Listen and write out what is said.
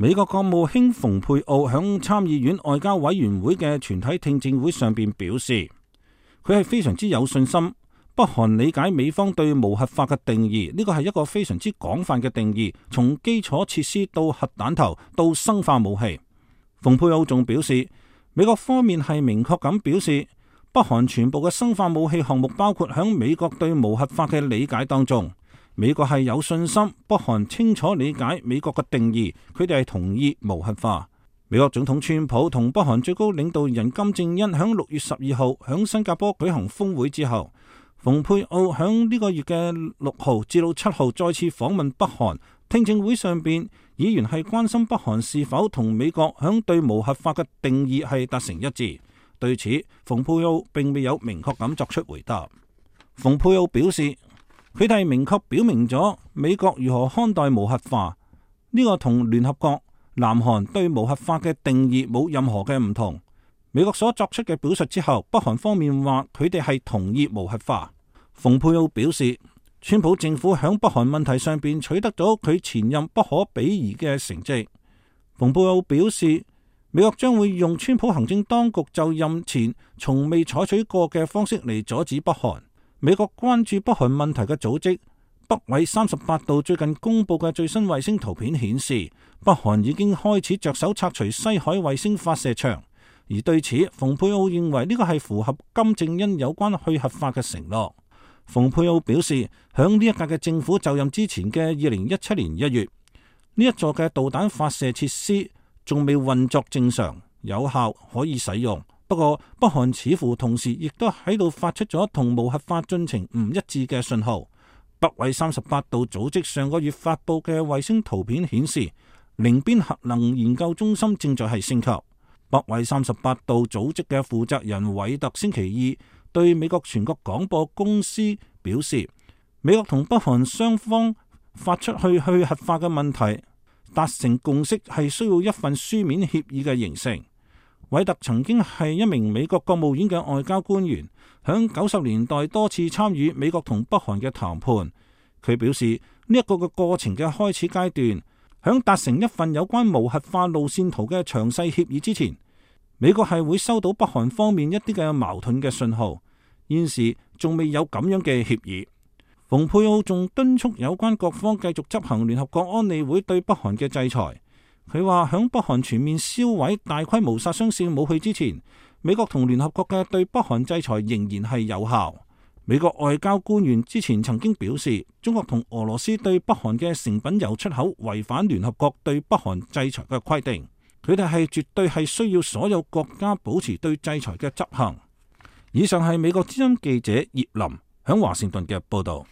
美國國務卿蓬佩奧響參議院外交委員會嘅全體聽證會上邊表示，佢係非常之有信心，北韓理解美方對無核化嘅定義，呢個係一個非常之廣泛嘅定義，從基礎設施到核彈頭到生化武器。蓬佩奧仲表示，美國方面係明確咁表示，北韓全部嘅生化武器項目包括響美國對無核化嘅理解當中。美國係有信心，北韓清楚理解美國嘅定義，佢哋係同意無核化。美國總統川普同北韓最高領導人金正恩響6月12號響新加坡舉行峰會之後，蓬佩奧響呢個月嘅6號至到7號再次訪問北韓。聽證會上邊，議員係關心北韓是否同美國響對無核化嘅定義係達成一致。對此，蓬佩奧並未有明確咁作出回答。蓬佩奧表示，佢哋明確表明咗美國如何看待無核化，呢個同聯合國、南韓對無核化嘅定義冇任何嘅唔同。美國所作出嘅表述之後，北韓方面話佢哋係同意無核化。蓬佩奧表示，川普政府響北韓問題上邊取得咗佢前任不可比擬嘅成績。蓬佩奧表示，美國將會用川普行政當局就任前從未採取過嘅方式嚟阻止北韓。美國關注北韓問題嘅組織北緯38度最近公布嘅最新衛星圖片顯示，北韓已經開始着手拆除西海衛星發射場。而對此，蓬佩奧認為呢個係符合金正恩有關去核化嘅承諾。蓬佩奧表示，響呢一屆嘅政府就任之前嘅2017年1月，呢一座嘅導彈發射設施仲未運作正常、有效可以使用。不過，北韓似乎同時亦都喺度發出咗同無核化進程唔一致嘅信號。北緯38度組織上個月發布嘅衛星圖片顯示，寧邊核能研究中心正在係升級。北緯38度組織嘅負責人韋特星期二對美國全國廣播公司表示，美國同北韓雙方發出去核化嘅問題達成共識係需要一份書面協議嘅形成。韋特曾經係一名美國國務院嘅外交官員，響90年代多次參與美國同北韓嘅談判。佢表示，呢一個嘅過程嘅開始階段，響達成一份有關無核化路線圖嘅詳細協議之前，美國係會收到北韓方面一啲嘅矛盾嘅信號。現時仲未有咁樣嘅協議。蓬佩奧仲敦促有關各方繼續執行聯合國安理會對北韓嘅制裁。佢話響北韓全面銷毀大規模殺傷性武器之前，美國同聯合國嘅對北韓制裁仍然係有效。美國外交官員之前曾經表示，中國同俄羅斯對北韓嘅成品油出口違反聯合國對北韓制裁嘅規定。佢哋係絕對係需要所有國家保持對制裁嘅執行。以上係美國之音記者葉林響華盛頓嘅報道。